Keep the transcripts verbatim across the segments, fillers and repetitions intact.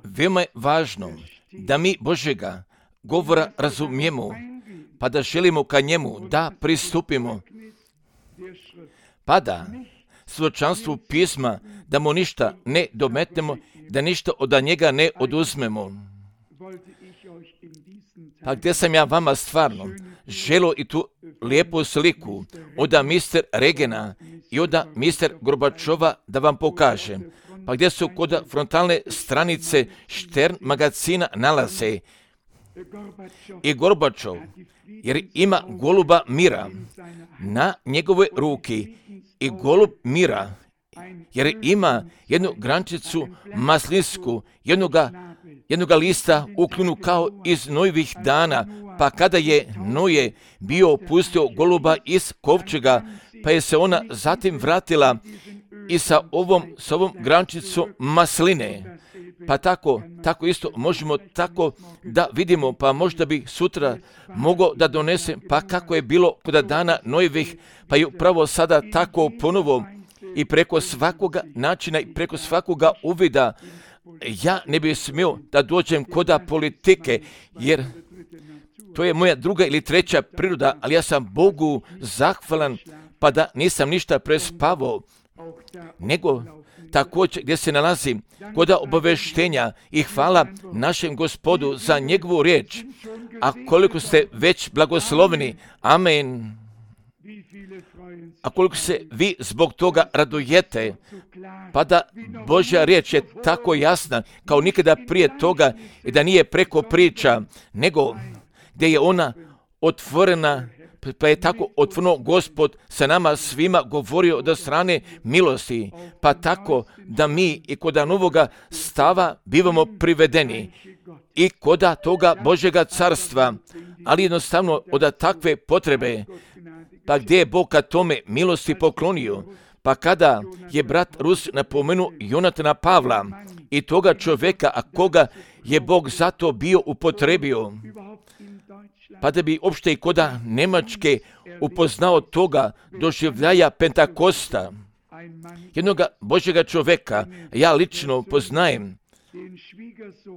Veoma je važno da mi Božjega govora razumijemo, pa da želimo ka njemu da pristupimo, pa da svjedočanstvu pisma, da mu ništa ne dometnemo, da ništa od njega ne oduzmemo. Pa gdje sam ja vama stvarno želo i tu lijepu sliku od mister Regena i od mister Gorbačova da vam pokažem. Pa gdje su kod frontalne stranice Štern magazina nalaze i Gorbačov, jer ima goluba mira na njegove ruki i golub mira, jer ima jednu grančicu maslinsku, jednoga, jednoga lista ukljunu kao iz Nojevih dana, pa kada je Noje bio pustio goluba iz kovčega, pa je se ona zatim vratila i sa ovom, sa ovom grančicom masline. Pa tako, tako isto možemo tako da vidimo, pa možda bi sutra mogao da donesem, pa kako je bilo kod dana Nojevih, pa je upravo sada tako ponovo i preko svakoga načina i preko svakoga uvida. Ja ne bih smio da dođem koda politike, jer to je moja druga ili treća priroda, ali ja sam Bogu zahvalan, pa da nisam ništa prespavao, nego također gdje se nalazi kod obaveštenja i hvala našem Gospodu za njegovu riječ. A koliko ste već blagosloveni, amen. A koliko se vi zbog toga radujete, pa da Božja riječ je tako jasna kao nikada prije toga i da nije preko priča, nego gdje je ona otvorena, pa je tako otvoreno Gospod sa nama svima govorio do strane milosti, pa tako da mi i kod novoga stava bivamo privedeni i kod toga Božjega carstva, ali jednostavno od takve potrebe, pa gdje je Bog ka tome milosti poklonio, pa kada je brat Rus napomenuo Jonatana Pavla i toga čovjeka, a koga je Bog zato bio upotrebio, pa da bi opšte i koda Njemačke upoznao toga doživljaja Pentakosta, jednoga Božjega čovjeka, ja lično poznajem,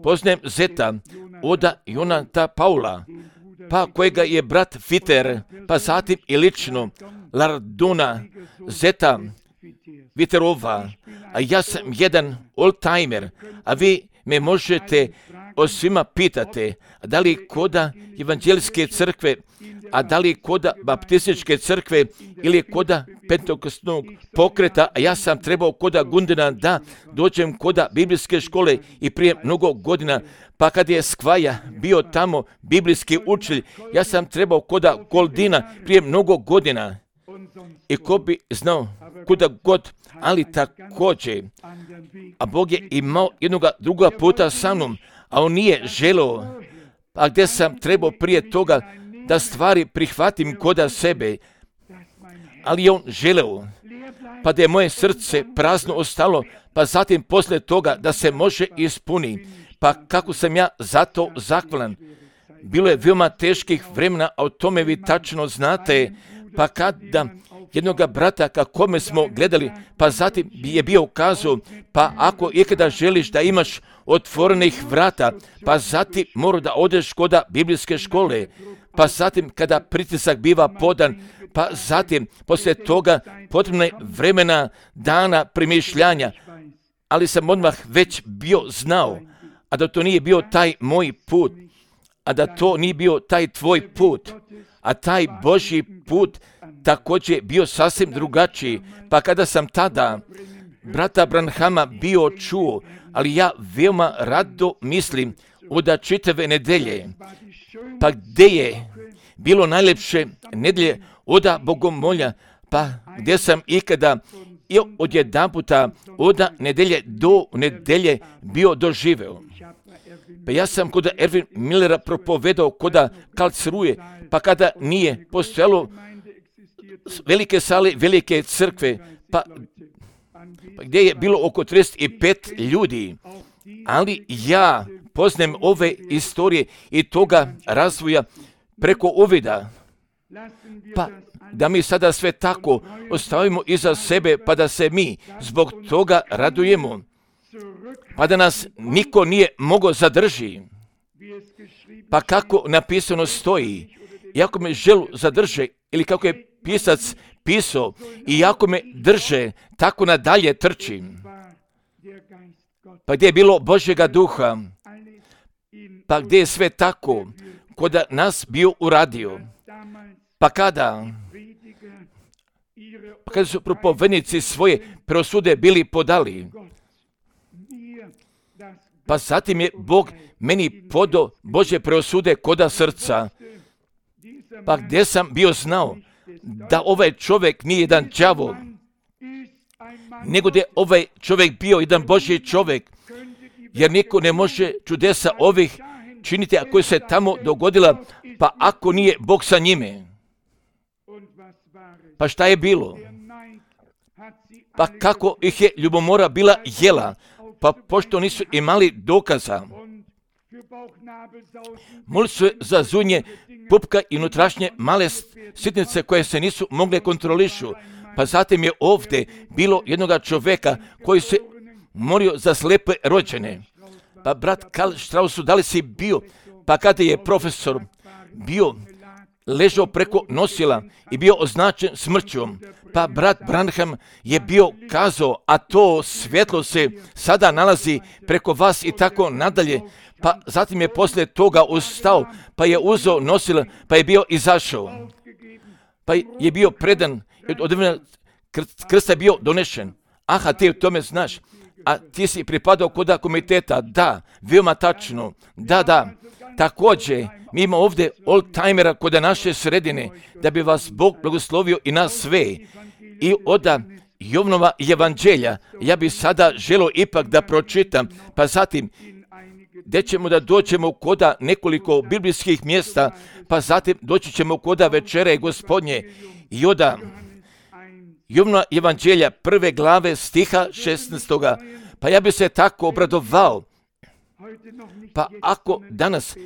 poznajem zeta oda Jonata Paula, pa kojega je brat Fiter, pa zatim i lično Larduna, zeta Viterova, a ja sam jedan old-timer, a vi me možete o svima pitate, da li koda evanđeljske crkve, a da li koda baptističke crkve ili koda pentekostnog pokreta, a ja sam trebao koda Gundena da dođem koda biblijske škole i prije mnogo godina, pa kad je Skvaja bio tamo biblijski učitelj, ja sam trebao koda Goldina prije mnogo godina. I ko bi znao kuda god, ali također, a Bog je imao jednoga druga puta sa mnom, a on nije želeo, a gdje sam trebao prije toga da stvari prihvatim koda sebe, ali je on želeo, pa da je moje srce prazno ostalo, pa zatim poslije toga da se može ispuni, pa kako sam ja zato zahvalan. Bilo je veoma teških vremena, a o tome vi tačno znate, pa kada jednoga brata kakome smo gledali, pa zatim je bio ukazao, pa ako ikada želiš da imaš otvorenih vrata, pa zatim mora da odeš koda biblijske škole, pa zatim kada pritisak biva podan, pa zatim poslije toga potrebno je vremena, dana premišljanja, ali sam odmah već bio znao, a da to nije bio taj moj put, a da to nije bio taj tvoj put, a taj Božji put također bio sasvim drugačiji, pa kada sam tada brata Branhama bio čuo, ali ja veoma rado mislim od čitave nedelje, pa gdje je bilo najlepše nedelje oda bogomolja, pa gdje sam ikada i od jedan puta od nedelje do nedelje bio doživeo. Pa ja sam kod Erwin Millera propovedao koda Karlsruhe, pa kada nije postojalo velike sale, velike crkve, pa, pa gdje je bilo oko trideset pet ljudi, ali ja poznajem ove istorije i toga razvoja preko uvida, Pa da mi sada sve tako ostavimo iza sebe, pa da se mi zbog toga radujemo, pa da nas niko nije mogao zadrži. Pa kako napisano stoji, iako me želu zadrže, ili kako je pisac pisao, i ako me drže, tako nadalje trčim. Pa gdje je bilo Božjega duha, pa gdje je sve tako, kod nas bio uradio. Pa kada, pa kada su propovednici svoje presude bili podali, pa zatim je Bog meni podao Božje presude koda srca. Pa gdje sam bio znao da ovaj čovjek nije jedan đavo, nego da je ovaj čovjek bio jedan Božji čovjek, jer niko ne može čudesa ovih činiti, ako se tamo dogodila, pa ako nije Bog sa njime. Pa šta je bilo? Pa kako ih je ljubomora bila jela, pa pošto nisu imali dokaza, molili su za zunje, pupka i unutrašnje male sitnice koje se nisu mogle kontrolišu. Pa zatim je ovdje bilo jednoga čovjeka koji se molio za slepe rođene. Pa brat Karl Strauss, da li si bio, pa kada je profesor bio ležao preko nosila i bio označen smrćom, pa brat Branham je bio kazao, a to svjetlo se sada nalazi preko vas i tako nadalje. Pa zatim je poslije toga ustao, pa je uzeo nosila, pa je bio izašao. Pa je bio predan, od vremena krsta je bio donešen. Aha, ti o tome znaš. A ti si pripadao koda komiteta. Da, veoma tačno. Da, da. Također, mi imamo ovdje old-timera kod naše sredine, da bi vas Bog blagoslovio i nas sve. I oda Jovnova evanđelja, ja bi sada želio ipak da pročitam, pa zatim gdje ćemo da dođemo koda nekoliko biblijskih mjesta, pa zatim doći ćemo koda večere Gospodnje. I oda Jovnova evanđelja prve glave stiha šesnaestoga. Pa ja bi se tako obradovao. Pa ako danas,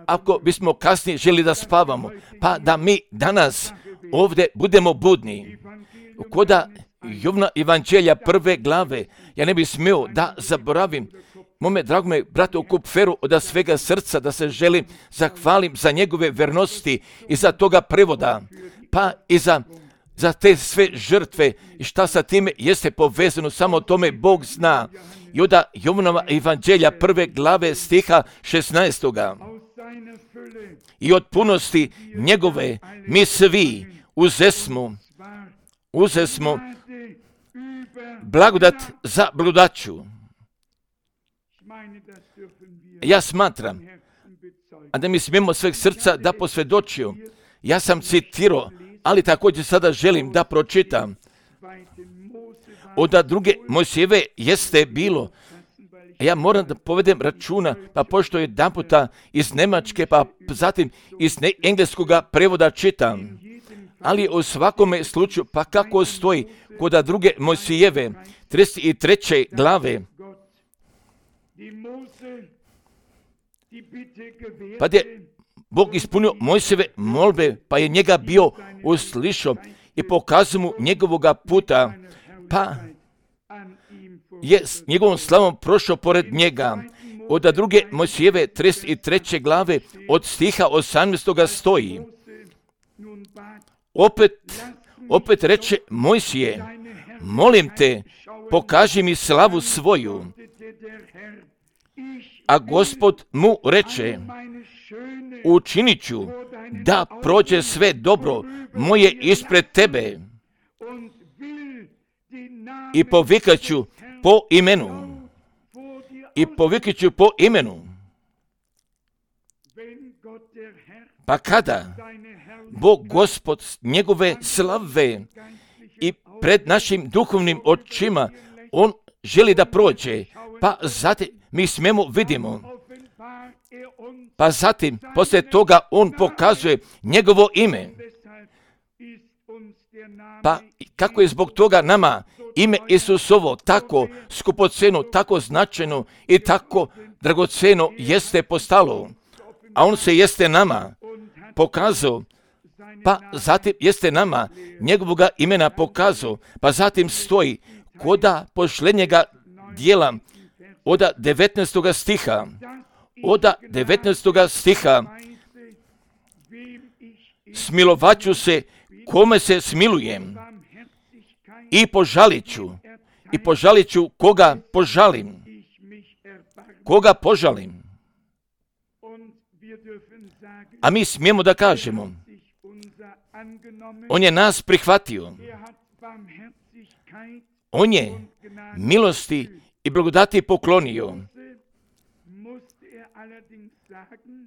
ako bismo kasnije želi da spavamo, pa da mi danas ovdje budemo budni. Koda Jovna evanđelja prve glave, ja ne bih smio da zaboravim mome dragome bratu Kupferu od svega srca da se želim zahvalim za njegove vernosti i za toga prevoda, pa i za, za te sve žrtve i šta sa time jeste povezano, samo tome Bog zna. I onda Jovnova evanđelja prve glave stiha šesnaestoga. I od punosti njegove mi svi uzesmo, uzesmo blagodat za blagodaću. Ja smatram, a da mi smijemo sveg srca da posvjedočio, ja sam citirao, ali također sada želim da pročitam. Od druge Mojsijeve jeste bilo, ja moram da povedem računa, pa pošto je jedan puta iz Nemačke, pa zatim iz engleskoga prevoda čitam, ali u svakome slučaju, pa kako stoji kod druge Mojsijeve, trideset treće glave, pa je Bog ispunio Mojsijeve molbe, pa je njega bio uslišao i pokazao mu njegovoga puta, pa je s njegovom slavom prošao pored njega. Od druge Mojsijeve trideset treće glave od stiha osamnaestoga stoji. Opet, opet reče Mojsije, molim te, pokaži mi slavu svoju. A Gospod mu reče, učinit ću da prođe sve dobro moje ispred tebe i povikat ću po imenu. I povikat ću po imenu. Pa kada Bog Gospod njegove slave i pred našim duhovnim očima on želi da prođe, pa zatim mi smemo vidimo. Pa zatim, poslije toga, on pokazuje njegovo ime. Pa kako je zbog toga nama ime Isusovo tako skupoceno, tako značajno i tako dragoceno jeste postalo. A on se jeste nama pokazao Pa zatim jeste nama njegovoga imena pokazao, pa zatim stoji koda pošlenjega dijela oda devetnaestoga stiha, oda devetnaestoga stiha, smilovaću se kome se smilujem i požalit ću, i požalit ću koga požalim, koga požalim. A mi smijemo da kažemo, on je nas prihvatio, on je milosti i blagodati poklonio.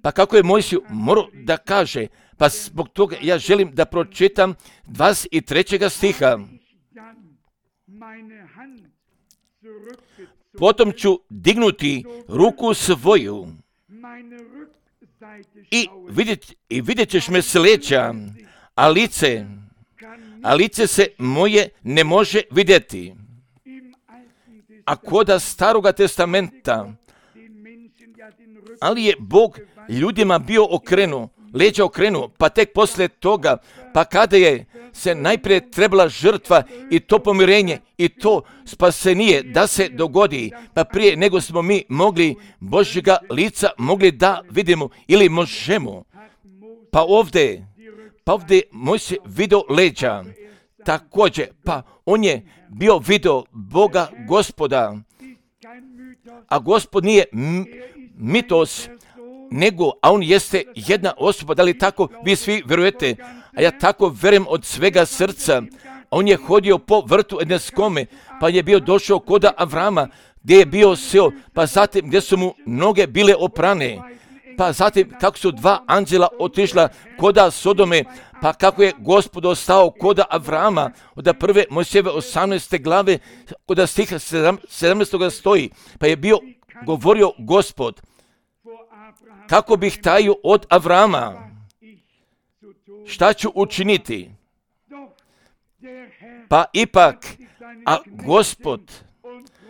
Pa kako je Mojsiju morao da kaže, pa zbog toga ja želim da pročitam dvadeset trećeg stiha. Potom ću dignuti ruku svoju i vidjet, i vidjet ćeš me s leđa, a lice, a lice se moje ne može vidjeti. A koda Staroga testamenta, ali je Bog ljudima bio okrenuo, leđa okrenuo, pa tek poslije toga, pa kada je se najprije trebala žrtva i to pomirenje i to spasenije da se dogodi, pa prije nego smo mi mogli Božjega lica mogli da vidimo ili možemo. Pa ovdje, pa ovdje Mojsije video leđa, također, pa on je bio video Boga Gospoda, a Gospod nije m- mitos, nego, a on jeste jedna osoba, da li tako vi svi vjerujete? A ja tako vjerujem od svega srca. On je hodio po vrtu Edenskome, pa je bio došao koda Avrama, gdje je bio seo, pa zatim gdje su mu noge bile oprane, pa zatim kako su dva anđela otišla koda Sodome, pa kako je Gospod ostao koda Avrama, od prve Mojsijeve osamnaeste glave, koda stiha sedamnaestog stoji, pa je bio govorio Gospod, kako bih tajio od Avrama, šta ću učiniti? Pa ipak, a Gospod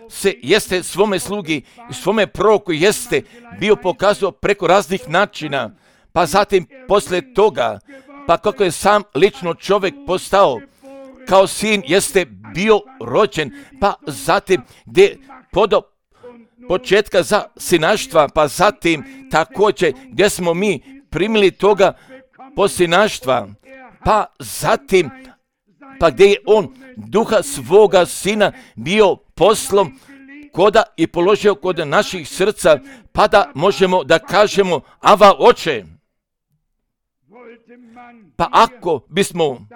se jeste svome slugi i svome proroku jeste bio pokazao preko raznih načina, pa zatim poslije toga, pa kako je sam lično čovjek postao, kao sin jeste bio rođen, pa zatim gdje podao početka za sinaštva, pa zatim također gdje smo mi primili toga posinaštva, pa zatim, pa gdje je on duha svoga sina bio poslom koda i položio kod naših srca, pa da možemo da kažemo Ava Oče. Pa ako bismo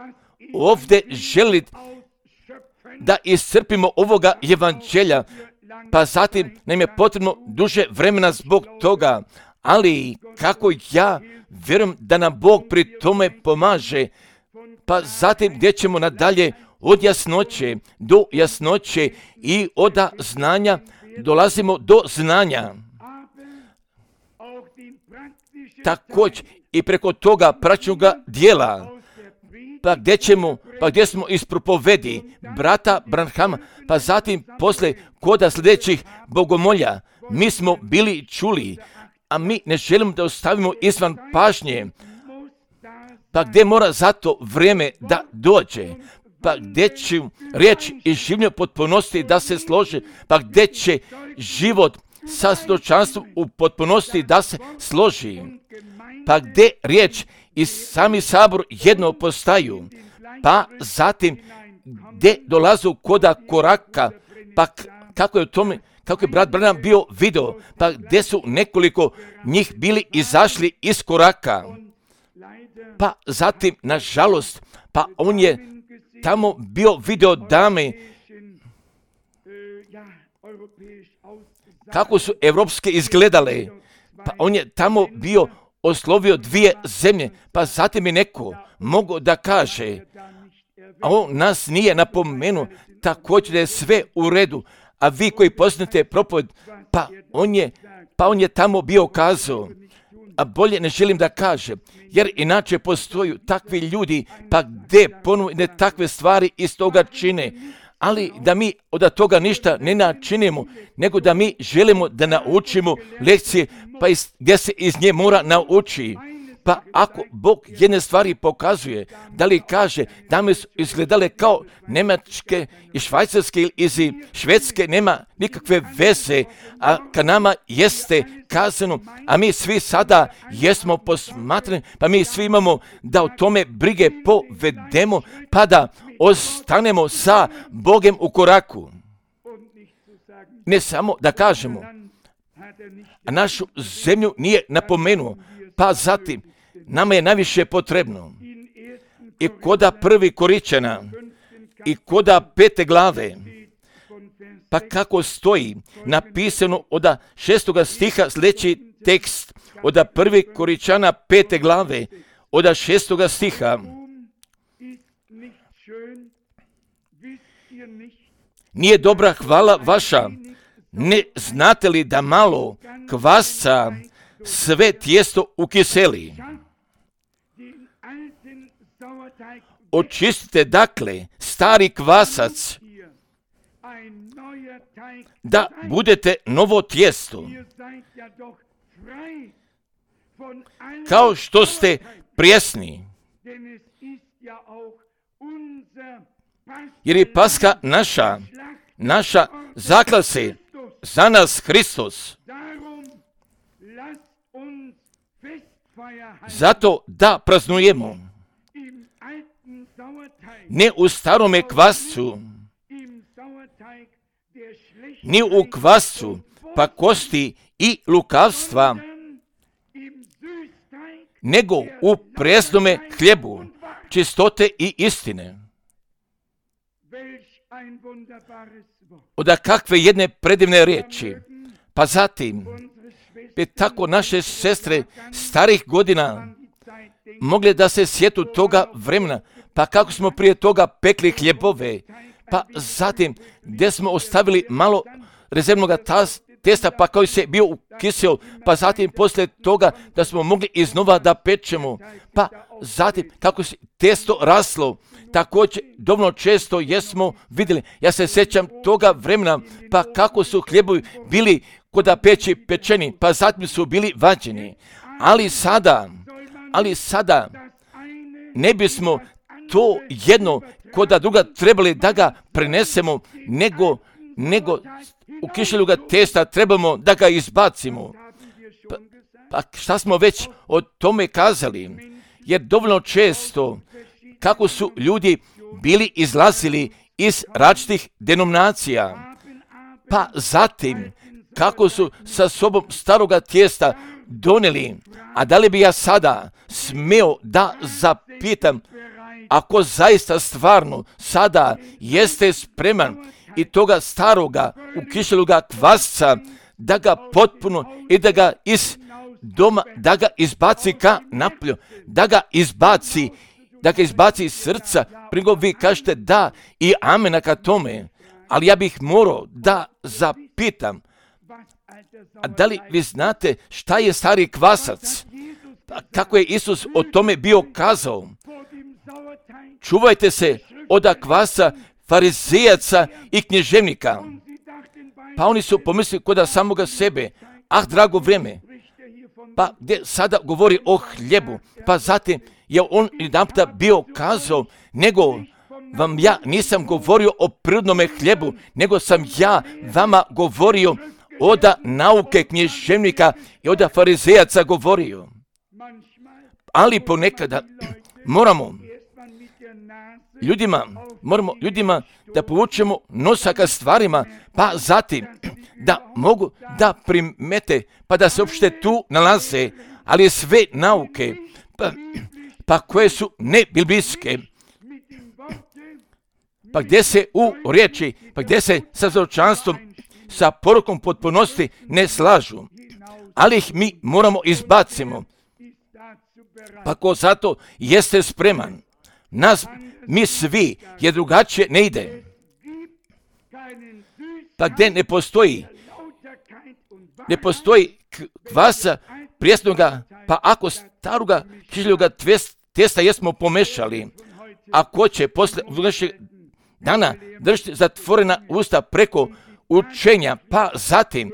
ovdje želi da iscrpimo ovoga evanđelja, pa zatim nam je potrebno duže vremena zbog toga, ali kako ja vjerujem da nam Bog pri tome pomaže, pa zatim gdje ćemo nadalje od jasnoće do jasnoće i od znanja dolazimo do znanja. Također i preko toga praćnoga dijela, pa gdje ćemo, pa gdje smo iz propovedi brata Branhama, pa zatim posle koda sljedećih bogomolja, mi smo bili čuli, a mi ne želimo da ostavimo izvan pažnje, pa gdje mora zato vrijeme da dođe, pa gdje će riječ i življenje potpunosti da se složi, pa gdje će život sa svjedočanstvom u potpunosti da se složi, pa gdje riječ i sami sabor jedno postaju, pa zatim gdje dolazu koda koraka, pa kako je u tome, kako je brat Branham bio video, pa gdje su nekoliko njih bili izašli iz koraka, pa zatim, nažalost, pa on je tamo bio video dame, kako su evropske izgledale, pa on je tamo bio oslovio dvije zemlje, pa zatim je neko mogao da kaže, a on nas nije napomenuo, također da je sve u redu, a vi koji poznate propoved, pa on je, pa on je tamo bio kazao, a bolje ne želim da kažem, jer inače postoju takvi ljudi, pa gdje ponovne takve stvari iz toga čine, ali da mi od toga ništa ne načinimo, nego da mi želimo da naučimo lekcije, pa iz, gdje se iz nje mora nauči. Pa ako Bog jedne stvari pokazuje, da li kaže da mi su izgledale kao Njemačke i Švajcarske ili iz Švedske, nema nikakve veze, a ka nama jeste kazano, a mi svi sada jesmo posmatrani, pa mi svi imamo da o tome brige povedemo, pa da ostanemo sa Bogem u koraku. Ne samo da kažemo, a našu zemlju nije napomenuo, pa zatim nama je najviše potrebno i koda prvi Koričana i koda pete glave, pa kako stoji napisano od šestoga stiha sljedeći tekst, od prvi Koričana pete glave, od šestoga stiha. Nije dobra hvala vaša, ne znate li da malo kvasca sve tijesto ukiseli? Očistite dakle stari kvasac, da budete novo tijesto, kao što ste prijesni. Jer je Paska naša, naša zaklase za nas Hristos. Zato da praznujemo ne u starome kvascu, ni u kvascu pakosti i lukavstva, nego u presnome hljebu čistote i istine. Oda kakve jedne predivne riječi. Pa zatim bi tako naše sestre starih godina mogle da se sjetu toga vremena, pa kako smo prije toga pekli hljebove, pa zatim gdje smo ostavili malo rezervnog testa, pa koji se bio ukisio, pa zatim poslije toga da smo mogli iznova da pečemo, pa zatim kako se testo raslo, također dovoljno često jesmo vidjeli. Ja se sjećam toga vremena, pa kako su hljebovi bili koda peći pečeni, pa zatim su bili vađeni. Ali sada, ali sada ne bismo to jedno koda druga trebali da ga prenesemo, nego, nego u kišeljuga testa trebamo da ga izbacimo. Pa, pa šta smo već o tome kazali? Jer dovoljno često kako su ljudi bili izlazili iz različitih denominacija, pa zatim kako su sa sobom staroga tijesta donijeli. A da li bi ja sada smio da zapitam, ako zaista stvarno sada jeste spreman i toga staroga ukišeloga kvasca da ga potpuno i da ga iz doma, da ga izbaci ka napolju, da ga izbaci, da ga izbaci iz srca, prego vi kažete da i amena ka tome, ali ja bih morao da zapitam, a da li vi znate šta je stari kvasac? Kako je Isus o tome bio kazao? Čuvajte se od kvasa farizejaca i knježevnika. Pa oni su pomislili kod samoga sebe, ah, drago vrijeme, pa gdje sada govori o hljebu, pa zatim je on jedanputa bio kazao, nego vam ja nisam govorio o prirodnome hljebu, nego sam ja vama govorio od nauke knježevnika i od farizejaca govorio. Ali ponekada moramo ljudima, moramo ljudima da povučemo nosa ka stvarima, pa zatim da mogu da primete, pa da se uopšte tu nalaze, ali sve nauke, pa, pa koje su nebiblijske, pa gdje se u riječi, pa gdje se sa zoročanstvom, sa porukom potpunosti ne slažu, ali ih mi moramo izbacimo. Pa ko zato jeste spreman, nas, mi svi, je drugačije ne ide. Pa gdje ne postoji, ne postoji kvasa prijesnoga, pa ako staroga kišljoga testa jesmo pomešali, a ko će posle našeg dana držati zatvorena usta preko učenja, pa zatim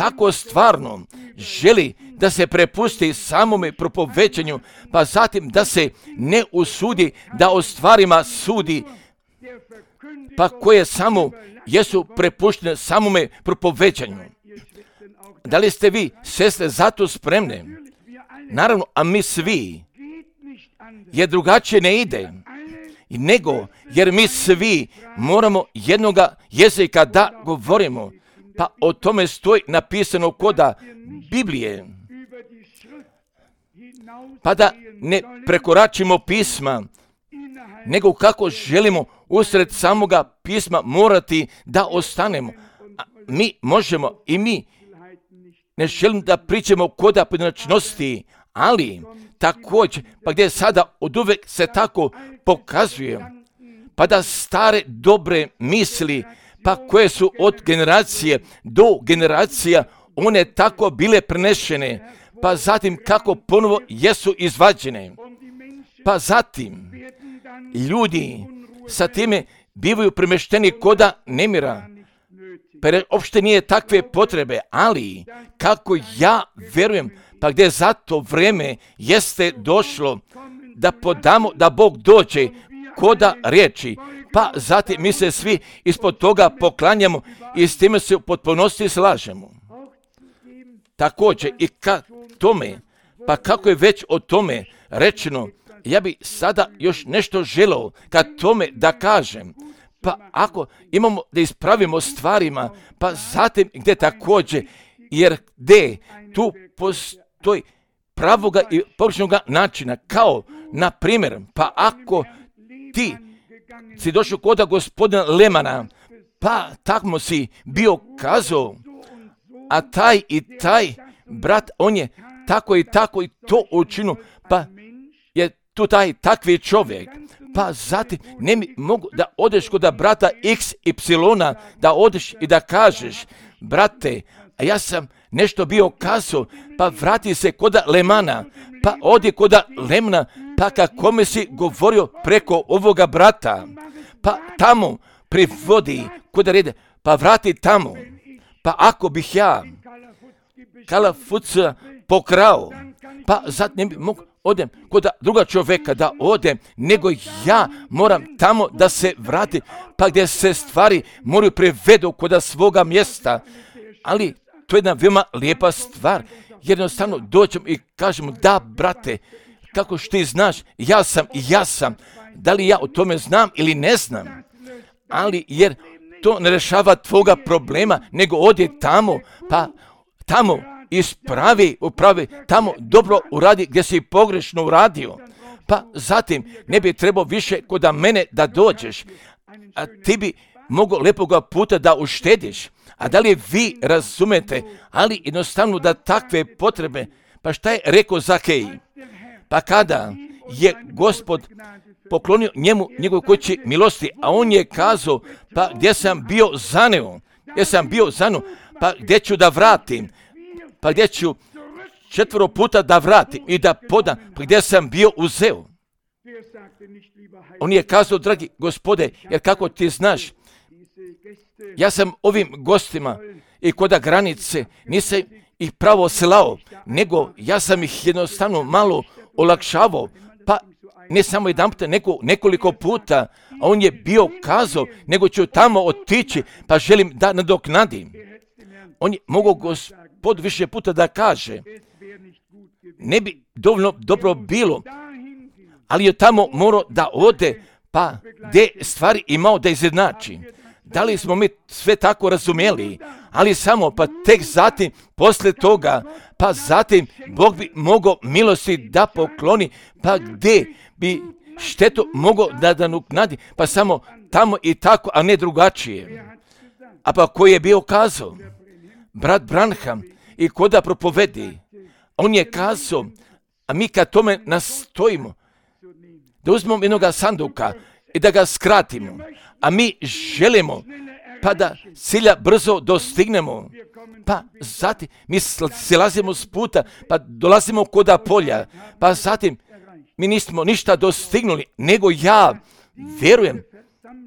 tako stvarno želi da se prepusti samome propovećanju, pa zatim da se ne usudi da o stvarima sudi, pa koje samo jesu prepuštene samome propovećanju. Da li ste vi, sestre, zato spremne? Naravno, a mi svi, jer drugačije ne ide, nego jer mi svi moramo jednoga jezika da govorimo, pa o tome stoji napisano koda Biblije, pa da ne prekoračimo pisma, nego kako želimo usred samoga pisma morati da ostanemo. A mi možemo i mi ne želim da pričamo koda pojedinačnosti, ali također, pa gdje sada od uvek se tako pokazuje, pa da stare dobre misli, pa koje su od generacije do generacija, one tako bile prenešene, pa zatim kako ponovo jesu izvađene, pa zatim ljudi sa time bivaju premešteni koda nemira, pa uopšte nije takve potrebe, ali kako ja verujem, pa gdje zato vreme jeste došlo da podamo da Bog dođe koda riječi, pa zatim mi se svi ispod toga poklanjamo i s time se u potpunosti slažemo. Također i ka tome, pa kako je već o tome rečeno, ja bi sada još nešto želeo ka tome da kažem. Pa ako imamo da ispravimo stvarima, pa zatim gdje također, jer gdje tu postoji pravoga i pogrešnoga načina, kao na primjer, pa ako ti si došao koda gospodina Lemana, pa tako si bio kazao, a taj i taj brat, on je tako i tako i to učinio, pa je tu taj takvi čovjek, pa zatim ne mi mogu da odeš kod brata X Y, da odeš i da kažeš, brate, a ja sam nešto bio kazao, pa vrati se kod Lemana, pa odi kod Lemana, pa kako mi si govorio preko ovoga brata, pa tamo privodi kod rede, pa vrati tamo, pa ako bih ja Kalafuca pokrao, pa zatim ne bi mogu odem kod druga čovjeka da odem, nego ja moram tamo da se vrati, pa gdje se stvari moraju prevedu kod svoga mjesta. Ali to je jedna veoma lijepa stvar. Jednostavno dođemo i kažemo, da brate, kako što ti znaš, ja sam i ja sam. Da li ja o tome znam ili ne znam? Ali jer to ne rešava tvoga problema, nego odi tamo, pa tamo ispravi, upravi, tamo dobro uradi gdje si pogrešno uradio. Pa zatim ne bi trebao više kod mene da dođeš, a ti bi mogo lepoga puta da uštediš. A da li vi razumete, ali jednostavno da takve potrebe, pa šta je rekao Zakej? Pa kada je Gospod poklonio njemu njegove kući milosti, a on je kazao, pa gdje sam bio zaneo, gdje sam bio zaneo, pa gdje ću da vratim, pa gdje ću četvoro puta da vratim i da podam, pa gdje sam bio uzeo. On je kazao, dragi Gospode, jer kako ti znaš, ja sam ovim gostima i koda granice nisam ih pravo slao, nego ja sam ih jednostavno malo olakšavao, pa ne samo jedan puta, nego nekoliko puta, a on je bio kazao, nego ću tamo otići, pa želim da nadoknadim. On je mogao Gospod više puta da kaže, ne bi dovoljno dobro bilo, ali je tamo morao da ode, pa gdje stvari imao da izjednači. Da li smo mi sve tako razumjeli, ali samo pa tek zatim, posle toga, pa zatim Bog bi mogao milosti da pokloni, pa gdje bi štetu mogao da da nadoknadi, pa samo tamo i tako, a ne drugačije. A pa koji je bio kazao? Brat Branham i koda propovedi, on je kazao, a mi kad tome nastojimo, da uzmemo jednoga sanduka i da ga skratimo, a mi želimo pa da cilja brzo dostignemo, pa zatim mi silazimo s puta, pa dolazimo koda polja, pa zatim mi nismo ništa dostignuli, nego ja verujem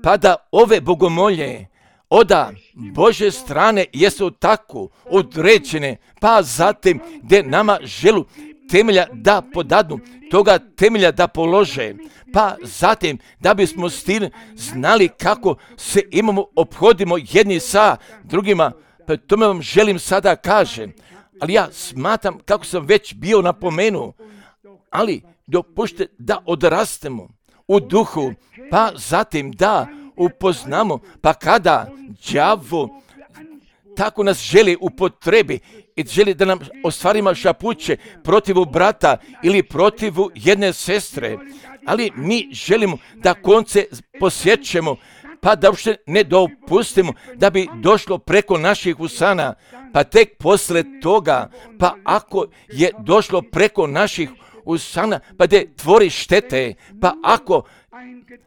pa da ove bogomolje, Oda Bože strane jesu tako određene, pa zatim gdje nama želu temelja da podadnu, toga temelja da polože, pa zatim da bismo s tim znali kako se imamo, ophodimo jedni sa drugima, pa tome vam želim sada kažem, ali ja smatram kako sam već bio napomenuo, ali dopušte da odrastemo u duhu, pa zatim da upoznamo, pa kada đavo tako nas želi upotrebi i želi da nam ostvarimo šapuće protivu brata ili protivu jedne sestre, ali mi želimo da konce posjećemo, pa da uopšte ne dopustimo da bi došlo preko naših usana, pa tek posle toga, pa ako je došlo preko naših usana, pa da tvori štete, pa ako,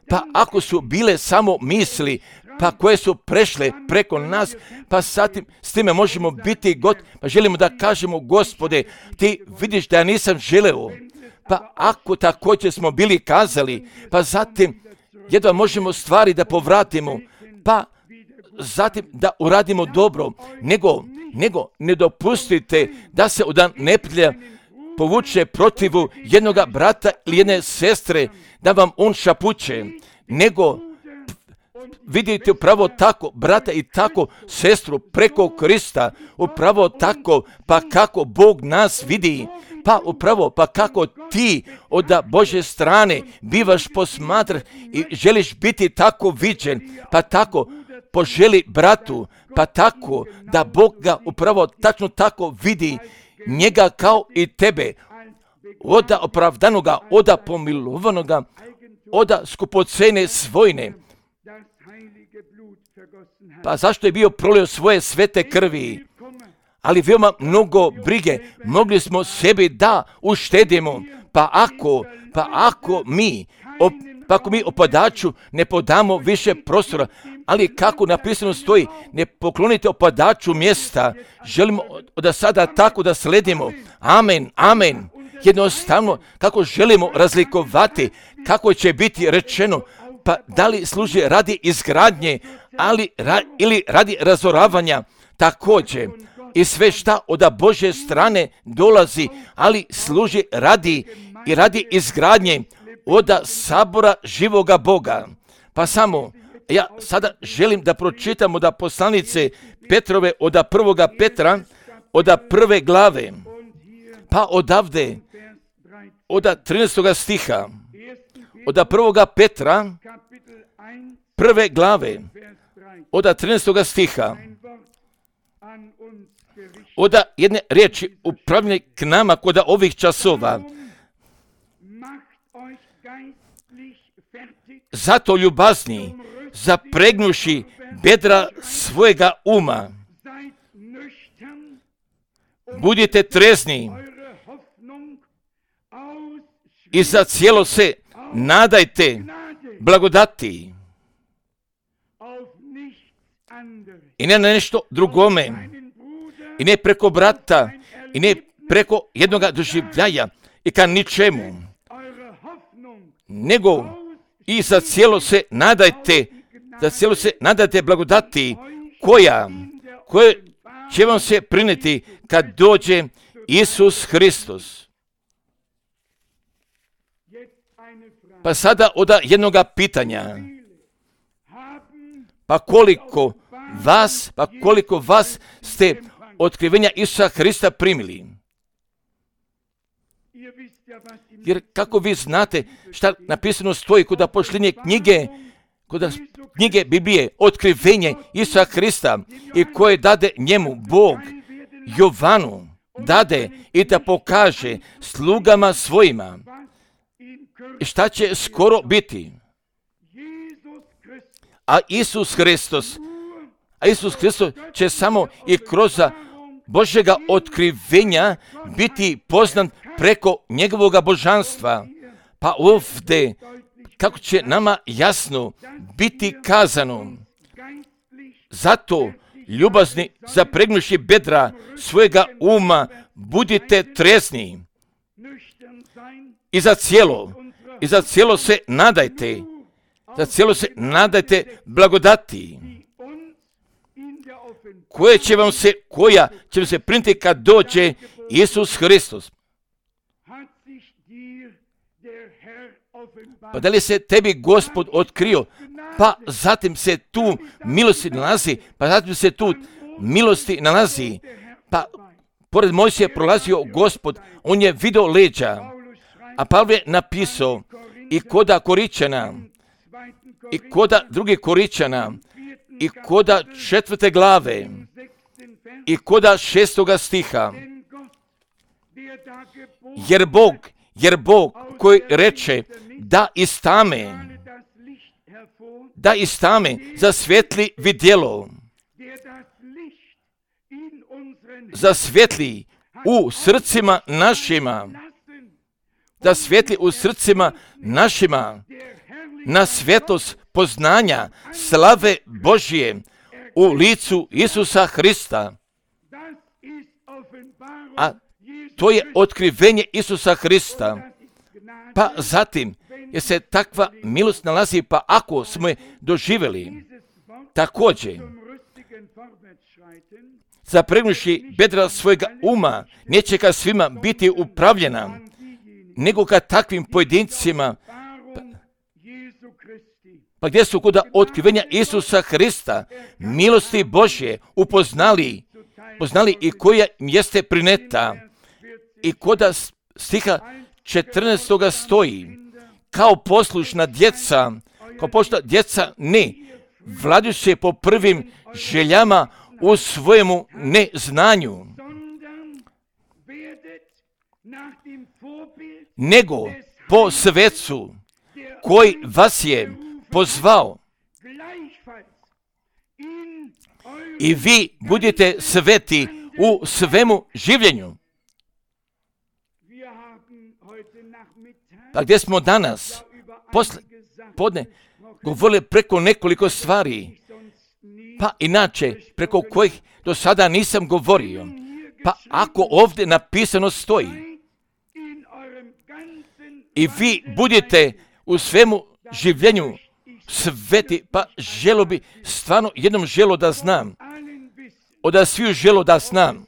pa ako su bile samo misli, pa koje su prešle preko nas, pa satim, s time možemo biti god, pa želimo da kažemo, Gospode, ti vidiš da ja nisam želeo, pa ako također smo bili kazali, pa zatim jedva možemo stvari da povratimo, pa zatim da uradimo dobro, nego, nego ne dopustite da se od neprijatelja povuče protivu jednoga brata ili jedne sestre, da vam on šapuće, nego vidite upravo tako brata i tako sestru preko Krista, upravo tako, pa kako Bog nas vidi, pa upravo, pa kako ti od Božje strane bivaš posmatran i želiš biti tako viđen, pa tako poželi bratu, pa tako da Bog ga upravo tačno tako vidi, njega kao i tebe, oda opravdanoga, oda pomilovanoga, oda skupocene svojne. Pa zašto je bio prolio svoje svete krvi? Ali veoma mnogo brige mogli smo sebi da uštedimo, pa ako, pa ako mi, op, pa ako mi opadaču ne podamo više prostora, ali kako napisano stoji, ne poklonite opadaču mjesta, želimo da sada tako da sledimo. Amen, amen. Jednostavno, kako želimo razlikovati, kako će biti rečeno, pa da li služi radi izgradnje, ali ra, ili radi razoravanja, također. I sve šta od Božje strane dolazi, ali služi radi i radi izgradnje od sabora živoga Boga. Pa samo, ja sada želim da pročitam od poslanice Petrove, od prvoga Petra, od prve glave, pa odavde, od trinaestoga stiha, od prvoga Petra, prve glave, od trinaestoga stiha, od jedne riječi upravljene k nama kod ovih časova. Zato ljubazni, zapregnuši bedra svojega uma, budite trezni i za cijelo se nadajte blagodati i ne na nešto drugome, i ne preko brata, i ne preko jednoga doživljaja i ka ničemu, nego i za cijelo se nadajte, za cijelo se nadajte blagodati koja, koja će vam se prineti kad dođe Isus Hristos. Pa sada od jednoga pitanja, pa koliko vas, pa koliko vas ste otkrivenja Isusa Hrista primili? Jer kako vi znate šta napisano stoji kod pošljenje knjige, kod knjige Biblije, otkrivenje Isusa Hrista i koje dade njemu Bog, Jovanu, dade i da pokaže slugama svojima. I šta će skoro biti? A Isus Hristos, a Isus Hristos će samo i kroz Božjega otkrivenja biti poznan preko njegovoga božanstva. Pa ovdje, kako će nama jasno biti kazano, zato ljubazni zapregnuši bedra svojega uma, budite trezni i za cijelo, i za cijelo se nadajte, za cijelo se nadajte blagodati, koja će vam se, koja će vam se printi kad dođe Isus Hristos. Pa da li se tebi Gospod otkrio, pa zatim se tu milosti nalazi, pa zatim se tu milosti nalazi, pa pored Mojsija prolazio Gospod, on je video leđa, a Pavle je napisao i koda Koričana, i koda druge Koričana, i koda četvrte glave, i koda šestoga stiha, jer Bog, jer Bog koji reče da iz tame, da iz tame zasvjetli vidjelo, zasvjetli u srcima našima, da svijetli u srcima našima na svjetlost poznanja slave Božje u licu Isusa Hrista. A to je otkrivenje Isusa Hrista. Pa zatim, jer se takva milost nalazi, pa ako smo je doživjeli, također, zapregnuši bedra svojega uma, neće ka svima biti upravljena, nego ka takvim pojedincima, pa, pa gdje su kod otkrivenja Isusa Hrista, milosti Božje, upoznali, poznali i koja jeste prineta, i koda stiha četrnaestoga stoji, kao poslušna djeca, kao poslušna djeca ne, vladajući po prvim željama u svojemu neznanju, nego po svecu koji vas je pozvao. I vi budete sveti u svemu življenju. Pa gdje smo danas, posle podne, govorili preko nekoliko stvari, pa inače preko kojih do sada nisam govorio. Pa ako ovdje napisano stoji, i vi budete u svemu življenju sveti, pa želo bi, stvarno jednom želo da znam, od sviju želo da znam,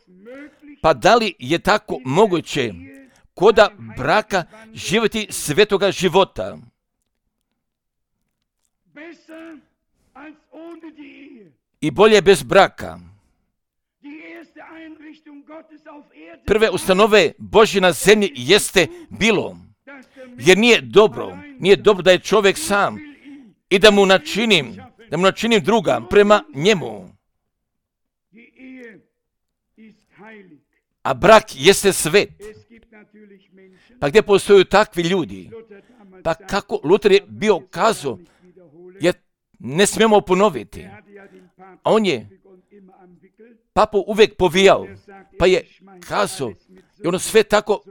pa da li je tako moguće koda braka živjeti svetoga života? I bolje bez braka. Prve ustanove Božje na zemlji jeste bilo, jer nije dobro, nije dobro da je čovjek sam i da mu načinim, da mu načinim druga prema njemu. A brak jeste svet. Pa gdje postoju takvi ljudi? Pa kako Luter je bio kazao, jer ne smijemo ponoviti. A on je papu uvijek povijao, pa je kazao, i ono sve tako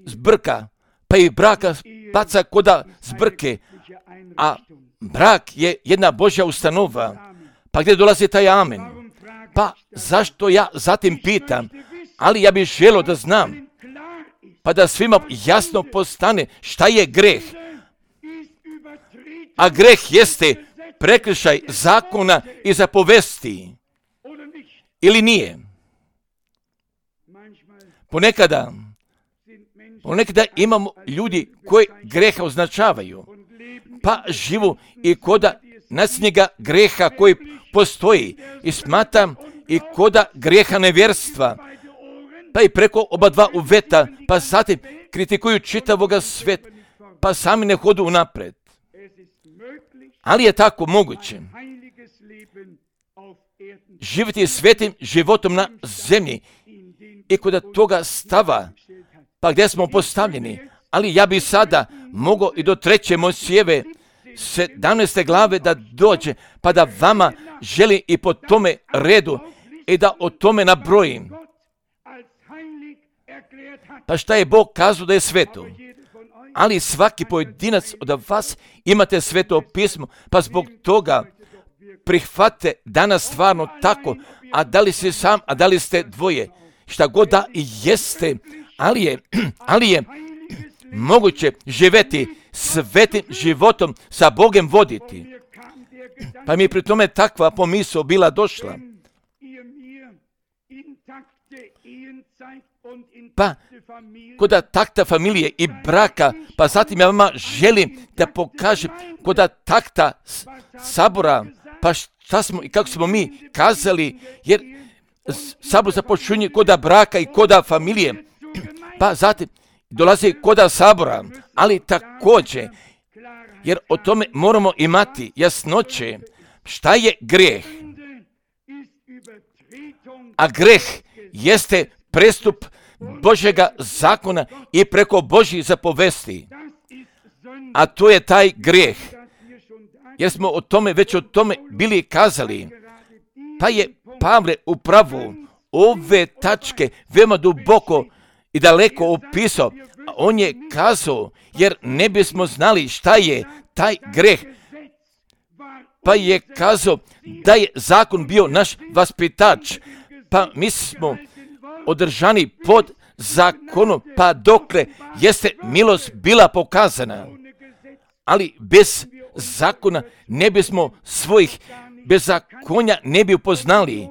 zbrka, pa i braka baca koda zbrke, a brak je jedna Božja ustanova. Pa gdje dolazi taj amen? Pa zašto ja zatim pitam, ali ja bih želio da znam, pa da svima jasno postane šta je greh. A greh jeste prekršaj zakona i zapovesti. Ili nije? Ponekada, ponekada imamo ljudi koji greha označavaju, pa živu i koda nasljednjega greha koji postoji i smatram i koda greha nevjerstva, pa i preko oba dva uveta, pa zatim kritikuju čitavoga sveta, pa sami ne hodu unapred. Ali je tako moguće živjeti svetim životom na zemlji i kod toga stava, pa gdje smo postavljeni. Ali ja bi sada mogao i do treće Mojsijeve sedamnaeste glave da dođe, pa da vama želi i po tome redu i da o tome nabrojim. Pa šta je Bog kazao da je sveto? Ali svaki pojedinac od vas imate sveto pismo, pa zbog toga prihvate danas stvarno tako, a da li si sam, a da li ste dvoje, šta god da i jeste, ali je, ali je moguće živjeti svetim životom, sa Bogem voditi. Pa mi je pri tome takva pomisao bila došla. pa kod takta familije i braka, pa zatim ja vama želim da pokažem kod takta sabora, pa šta smo i kako smo mi kazali, jer sabor započinje kod braka i kod familije, pa zatim dolazi kod sabora, ali također, jer o tome moramo imati jasnoće, šta je grijeh. A greh jeste prestup Božjega zakona i preko Božjih zapovesti. A to je taj grijeh. Jer smo o tome, već o tome bili kazali. Pa je Pavle upravo ove tačke veoma duboko i daleko opisao. On je kazao, jer ne bismo znali šta je taj greh. Pa je kazao da je zakon bio naš vaspitač. Pa mi smo održani pod zakonom, pa dokle jeste milost bila pokazana. Ali bez zakona ne bismo svojih bezakonja ne bi upoznali.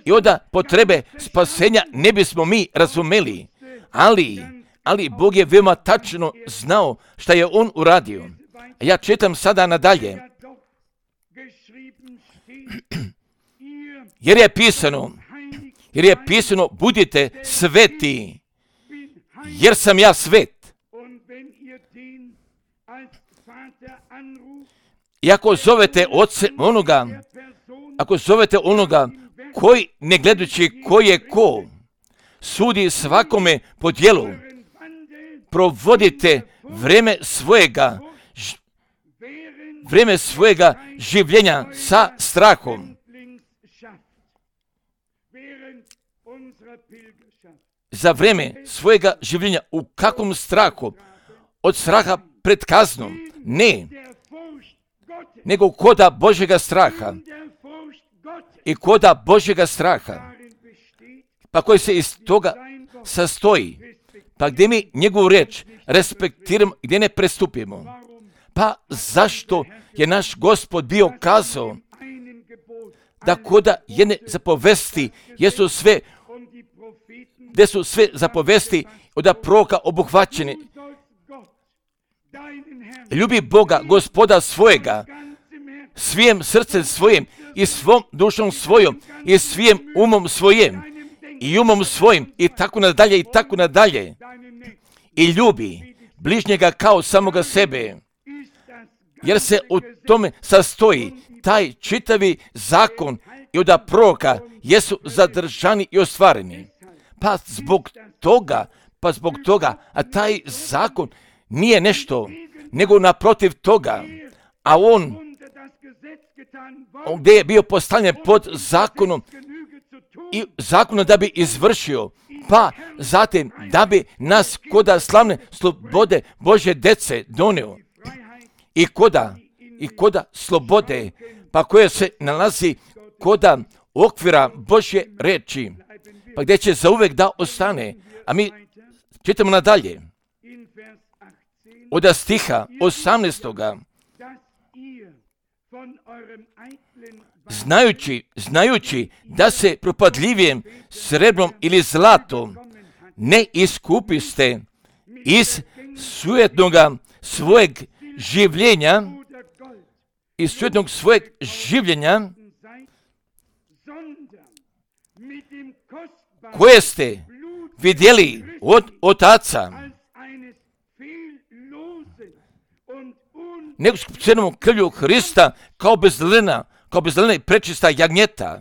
I onda potrebe spasenja ne bismo mi razumeli. Ali, ali Bog je veoma tačno znao šta je On uradio. A ja čitam sada nadalje. Jer je pisano, jer je pisano, budite sveti, jer sam ja svet. I ako zovete oce onoga, ako zovete onoga koji, ne gledajući ko je ko, sudi svakome po djelu, provodite vreme svojega, vreme svojega življenja sa strahom. Za vreme svojega življenja u kakvom strahu? Od straha pred kaznom? Ne. Nego koda Božjega straha. I koda Božjega straha. Pa koji se iz toga sastoji. Pa gdje mi njegovu reč respektiramo, gdje ne prestupimo. Pa zašto je naš Gospod bio kazao da koda jedne zapovesti jesu sve, gdje su sve zapovesti od proroka obuhvaćene. Ljubi Boga, Gospoda svojega, svijem srcem svojim i svom dušom svojom i svijem umom svojim i umom svojim i tako nadalje i tako nadalje. I ljubi bližnjega kao samoga sebe. Jer se u tome sastoji taj čitavi zakon i od proroka jesu zadržani i ostvareni. Pa zbog toga, pa zbog toga, a taj zakon nije nešto, nego naprotiv toga, a on, on gdje je bio postavljen pod zakonom i zakonom da bi izvršio, pa zatim da bi nas koda slavne slobode Božje dece donio i koda, i koda slobode, pa koja se nalazi koda okvira Božje reči, pa gdje će zauvek da ostane. A mi čitamo nadalje. Od stiha osamnaestoga. Znajući, znajući da se propadljivijem srebrom ili zlatom ne iskupiste iz sujetnoga svojeg življenja, iz sujetnog svojeg življenja, koje ste vidjeli od otaca, nego skupocenom krvlju Hrista kao bezlena, kao bezlena i prečista jagnjeta.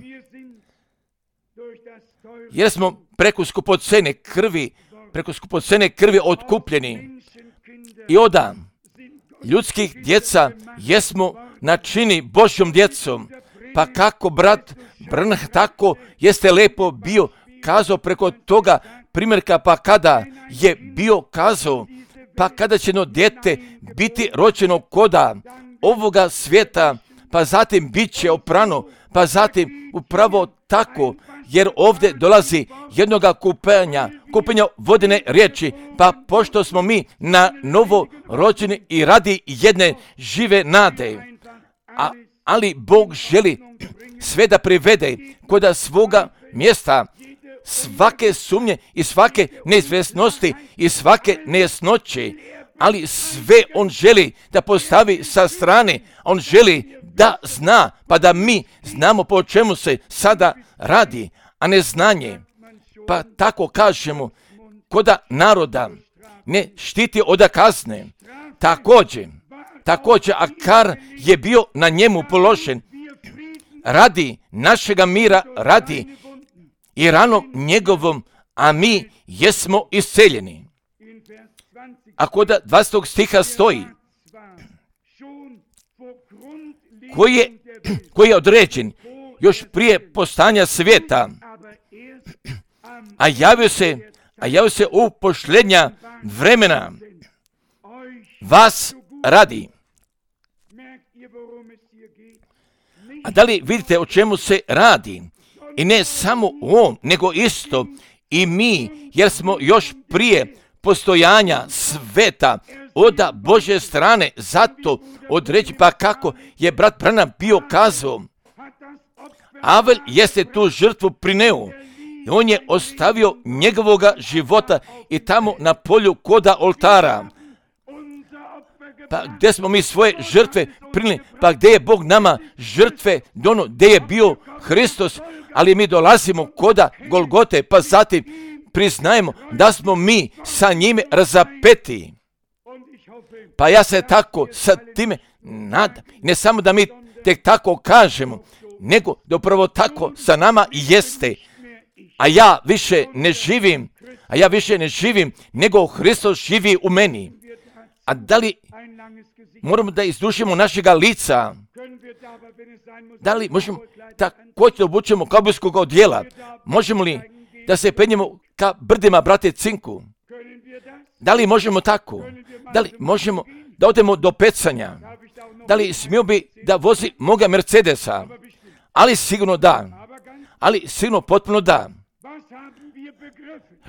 Jer smo preko skupocene krvi, preko skupocene krvi otkupljeni. I oda ljudskih djeca jesmo načini Božjom djecom. Pa kako brat Branham tako jeste lepo bio kazao preko toga primjerka, pa kada je bio kazao, pa kada će no dijete biti rođeno koda ovoga svijeta, pa zatim bit će oprano, pa zatim upravo tako, jer ovdje dolazi jednoga kupenja, kupenja vodene riječi, pa pošto smo mi na novo rođeni i radi jedne žive nade, a, ali Bog želi sve da privede koda svoga mjesta svake sumnje i svake neizvjesnosti i svake nejasnoće, ali sve on želi da postavi sa strane. On želi da zna, pa da mi znamo po čemu se sada radi, a ne znanje. Pa tako kažemo, koda naroda ne štiti od kazne. Također, također, a kar je bio na njemu položen, radi našega mira, radi i ranom njegovom, a mi jesmo isceljeni. A kod dvadesetog stiha stoji, koji je, koji je određen još prije postanja svijeta, a javio se, a javio se u posljednja vremena, vas radi. A da li vidite o čemu se radi? I ne samo on, nego isto i mi, jer smo još prije postojanja sveta od Božje strane, zato odreći, pa kako je brat Branham bio kazao, Avel jeste tu žrtvu prineo, i on je ostavio njegovoga života i tamo na polju koda oltara. Pa gdje smo mi svoje žrtve prinili, pa gdje je Bog nama žrtve dono, gdje je bio Hristos, ali mi dolazimo koda Golgote, pa zatim priznajemo da smo mi sa njime razapeti. Pa ja se tako sa time nadam, ne samo da mi tek tako kažemo, nego da upravo tako sa nama jeste. A ja više ne živim, a ja više ne živim, nego Hristos živi u meni. A da li moramo da izdušimo našega lica? Da li možemo također da obučemo kaubojskog odjela? Možemo li da se penjemo ka brdima brate Cinku? Da li možemo tako? Da li možemo da odemo do pecanja? Da li smio bi da vozi moga Mercedesa? Ali sigurno da. Ali sigurno potpuno da.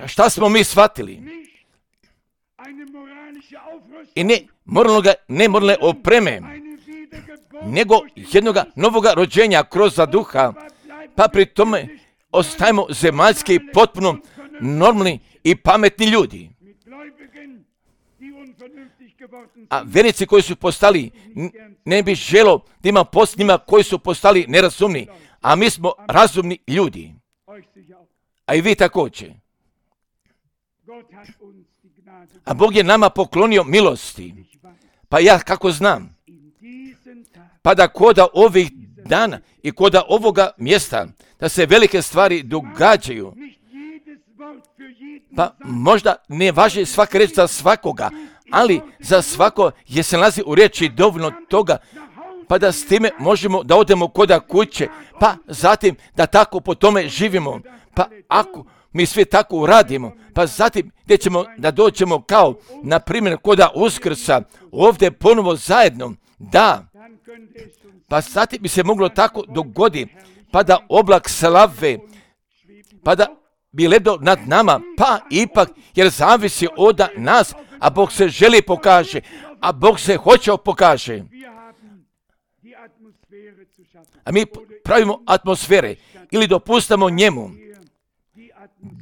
Šta smo mi shvatili? I ne moralnoga, ne moralne opreme, nego jednoga novoga rođenja kroz duha, pa pri tome ostajemo zemaljski potpuno normalni i pametni ljudi. A vjernici koji su postali, ne bi želo da ima post njima koji su postali nerazumni, a mi smo razumni ljudi. A i vi također. A Bog je nama poklonio milosti. Pa ja kako znam, pa da koda ovih dana i koda ovoga mjesta, da se velike stvari događaju, pa možda ne važi svaka reč za svakoga, ali za svako je se nalazi u riječi dovoljno toga, pa da s time možemo da odemo koda kuće, pa zatim da tako po tome živimo. Pa ako mi sve tako uradimo, pa zatim gdje ćemo da dođemo kao, na primjer, koda Uskrsa, ovdje ponovo zajedno, da, pa zatim bi se moglo tako dogoditi, pa da oblak slave, pa da bi lebdo nad nama, pa ipak, jer zavisi od nas, a Bog se želi pokaže, a Bog se hoće pokaže. A mi pravimo atmosfere ili dopustamo njemu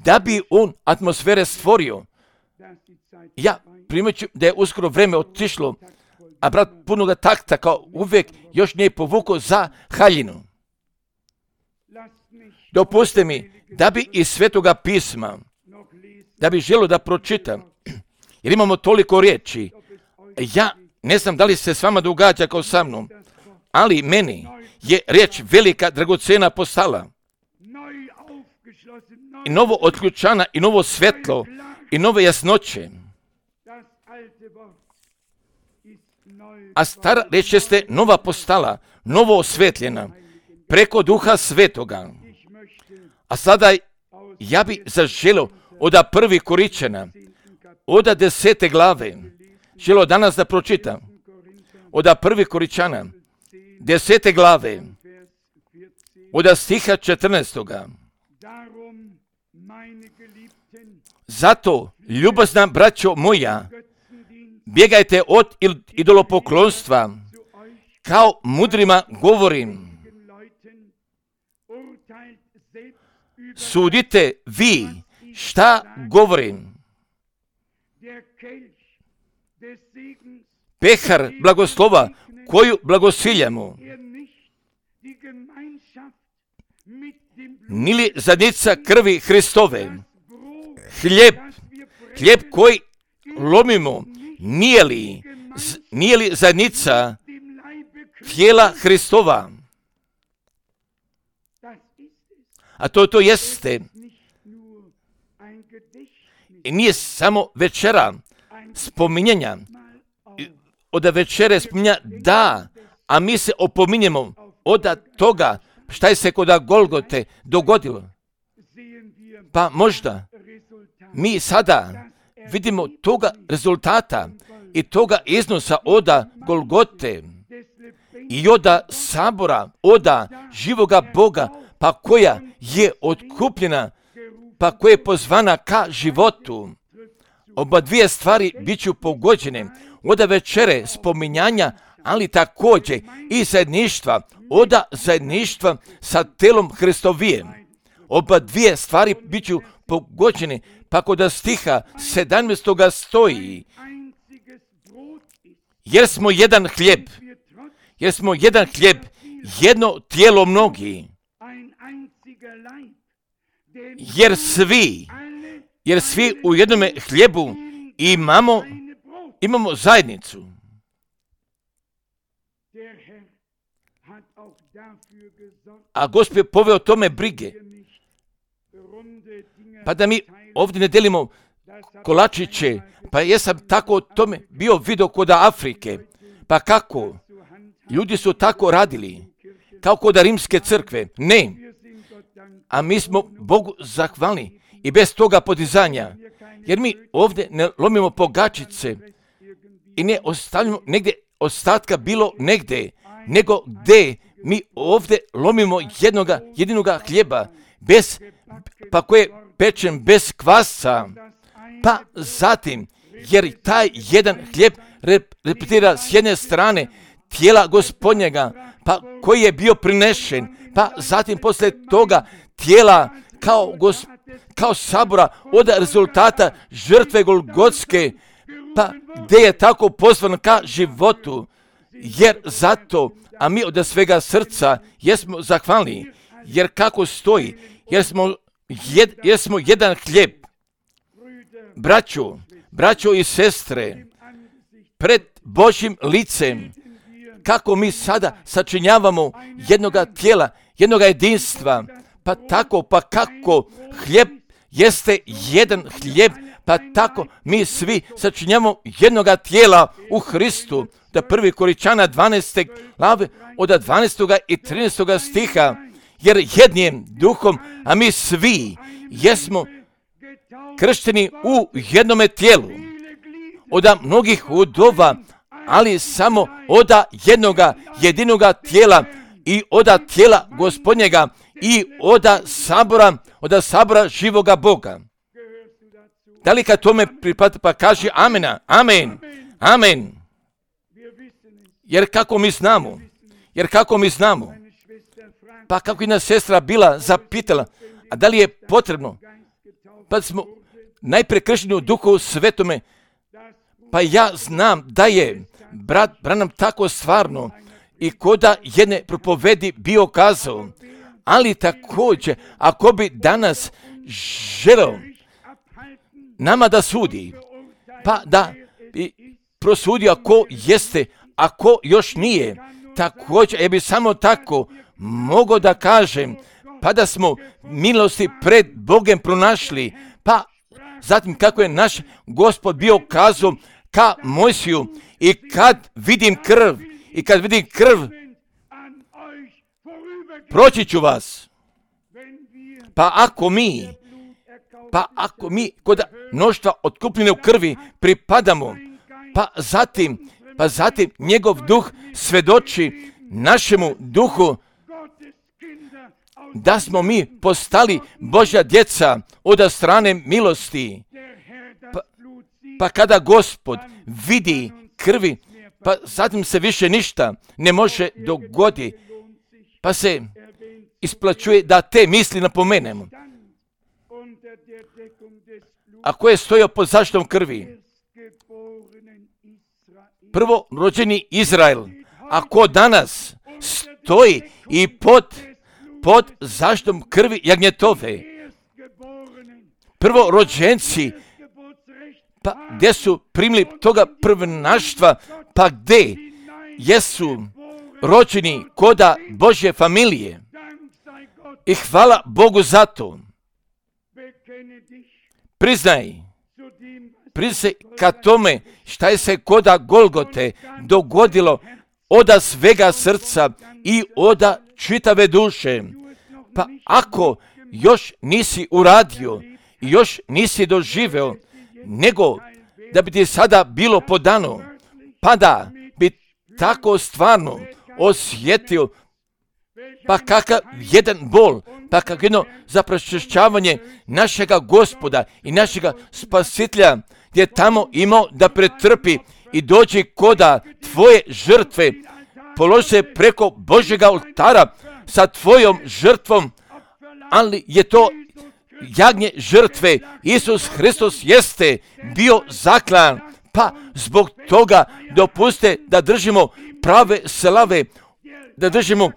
da bi on atmosfere stvorio. Ja primeću da je uskoro vreme otišlo, a brat punoga takta kao uvijek još nije povukao za haljinu. Dopustite mi da bi iz Svetoga pisma, da bi želio da pročitam, jer imamo toliko riječi. Ja ne znam da li se s vama događa kao sa mnom, ali meni je riječ velika, dragocena postala. I novo otključana, i novo svetlo, i nove jasnoće. A stara riječ jeste nova postala, novo osvetljena, preko Duha Svetoga. A sada ja bi zaželio od prvi Koričana, od desete glave, želio danas da pročitam, od prvi Koričana, desete glave, od stiha četrnaestoga. Zato, ljubazna braćo moja, bjegajte od idolopoklonstva, kao mudrima govorim. sudite vi šta govorim. Pehar blagoslova koju blagosiljamo, nili zadnica krvi Hristove, hljeb, hljeb koji lomimo, nije li, nije li zadnica tijela Hristova? A to to jeste. I nije samo večera spominjanja. Od večere spominja da, a mi se opominjemo od toga šta je se kod Golgote dogodilo. Pa možda mi sada vidimo toga rezultata i toga iznosa oda Golgote i oda sabora, oda živoga Boga, pa koja je otkupljena, pa koja je pozvana ka životu. Oba dvije stvari bit ću pogođene. Oda večere spominjanja, ali također i zajedništva, oda zajedništva sa telom Hristovijem. Oba dvije stvari bit ću pogođene, pa kod stiha sedamnaestoga stoji, jer smo jedan hljeb, jer smo jedan hljeb, jedno tijelo mnogi, jer svi, jer svi u jednome hljebu imamo, imamo zajednicu. A Gospod je poveo tome brige. Pa da mi ovdje ne delimo kolačiće, pa jesam tako o tome bio vidio kod Afrike. Pa kako? Ljudi su tako radili, kao kod Rimske crkve. Ne. A mi smo Bogu zahvalni i bez toga podizanja. Jer mi ovdje ne lomimo pogačice i ne ostavljamo negdje ostatka bilo negdje, nego gdje mi ovdje lomimo jednoga, jedinoga hljeba, bez, pa koje je pečen bez kvasca. Pa zatim, jer taj jedan hljeb repetira s jedne strane tijela Gospodnjega, pa koji je bio prinešen, pa zatim poslije toga tijela kao, gos, kao sabora od rezultata žrtve Golgotske, pa gdje je tako pozvan ka životu, jer zato, a mi od svega srca jesmo zahvalni, jer kako stoji, jer smo, jed, jer smo jedan hljeb. Braćo, braćo i sestre, pred Božjim licem, kako mi sada sačinjavamo jednoga tijela, jednoga jedinstva, pa tako, pa kako hljeb jeste jedan hljeb, pa tako mi svi sačinjavamo jednoga tijela u Hristu. Da prvi Koričana dvanaeste glave od dvanaestoga i trinaestoga stiha, jer jednim duhom, a mi svi jesmo kršteni u jednome tijelu, od mnogih udova, ali samo od jednoga jedinoga tijela i od tijela Gospodnjega i od sabora, od sabora živoga Boga. Da li kad tome pripada, pa kaže amena, amen, amen. Jer kako mi znamo, jer kako mi znamo, pa kako jedna sestra bila zapitala, a da li je potrebno, pa smo najprije kršteni u Duhu Svetome, pa ja znam da je brat Branham tako stvarno i koda jedne propovedi bio kazao, ali također ako bi danas želeo nama da sudi, pa da bi prosudio ako jeste, ako još nije, također ja bi samo tako mogao da kažem, pa da smo milosti pred Bogom pronašli, pa zatim kako je naš Gospod bio kazao ka Mojsiju, i kad vidim krv, i kad vidim krv, proći ću vas. Pa ako mi, pa ako mi kod mnoštva otkupljene u krvi pripadamo, pa zatim, pa zatim njegov duh svedoči našemu duhu da smo mi postali Božja djeca od strane milosti. Pa, pa kada Gospod vidi krvi, pa zatim se više ništa ne može dogoditi. Pa se isplaćuje da te misli napomenemo. A ko je stojao pod zaštitom krvi? Prvo rođeni Izrael. A ko danas stoji i pod, pod zaštitom krvi jagnjetove? Prvo rođenci. Pa gdje su primili toga prvenaštva? Pa gdje jesu rođeni koda Božje familije? I hvala Bogu za to. Priznaj, priznaj ka tome šta je se koda Golgote dogodilo oda svega srca i oda čitave duše. Pa ako još nisi uradio i još nisi doživeo, nego da bi ti sada bilo podano, pa da bi tako stvarno osjetio pa kakav jedan bol, pa kakav jedno zaprošćavanje našega Gospoda i našega Spasitelja, gdje je tamo imao da pretrpi i dođe koda tvoje žrtve, položi se preko Božjega oltara sa tvojom žrtvom, ali je to jagnje žrtve. Isus Hristos jeste bio zaklan, pa zbog toga dopuste da držimo prave slave, da držimo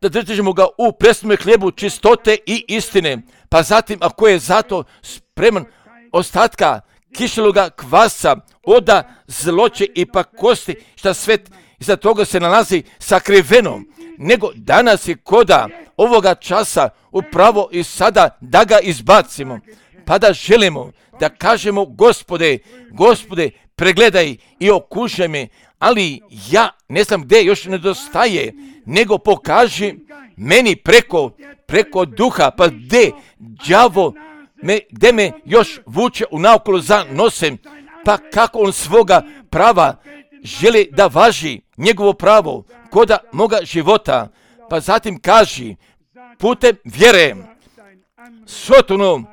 da držimo ga u presnome hlijebu čistote i istine. Pa zatim, ako je zato spreman ostatka kiseloga kvasa, oda zloće i pakosti, šta svet iza toga se nalazi sakriveno, nego danas je koda ovoga časa upravo i sada da ga izbacimo, pa da želimo da kažemo Gospode, Gospode, pregledaj i okušaj me, ali ja ne znam gdje još nedostaje, nego pokaži meni preko, preko duha, pa gdje đavo me, gdje me još vuče u naokolo za nosem, pa kako on svoga prava želi da važi njegovo pravo koda moga života, pa zatim kaži putem vjere, Sotonu,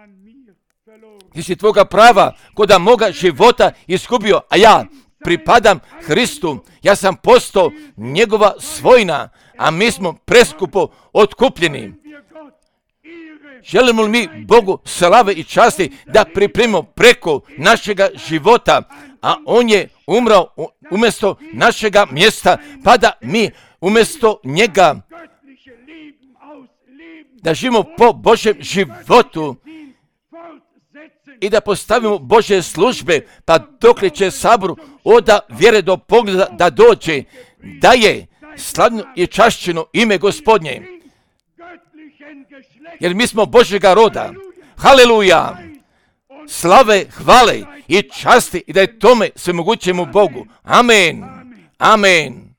ti si tvoga prava koda moga života izgubio, a ja pripadam Hristu, ja sam postao njegova svojina, a mi smo preskupo otkupljeni. Želimo li mi Bogu slave i časti da pripremimo preko našega života, a on je umrao umjesto našega mjesta, pa da mi umjesto njega da živimo po Božjem životu i da postavimo Božje službe, pa dokle će saboru oda vjere do pogleda da dođe, da je slavno i čašćeno ime Gospodnje. Jer mi smo Božjega roda. Haleluja! Slave, hvale i časti i da je tome svemogućemu Bogu. Amen. Amen.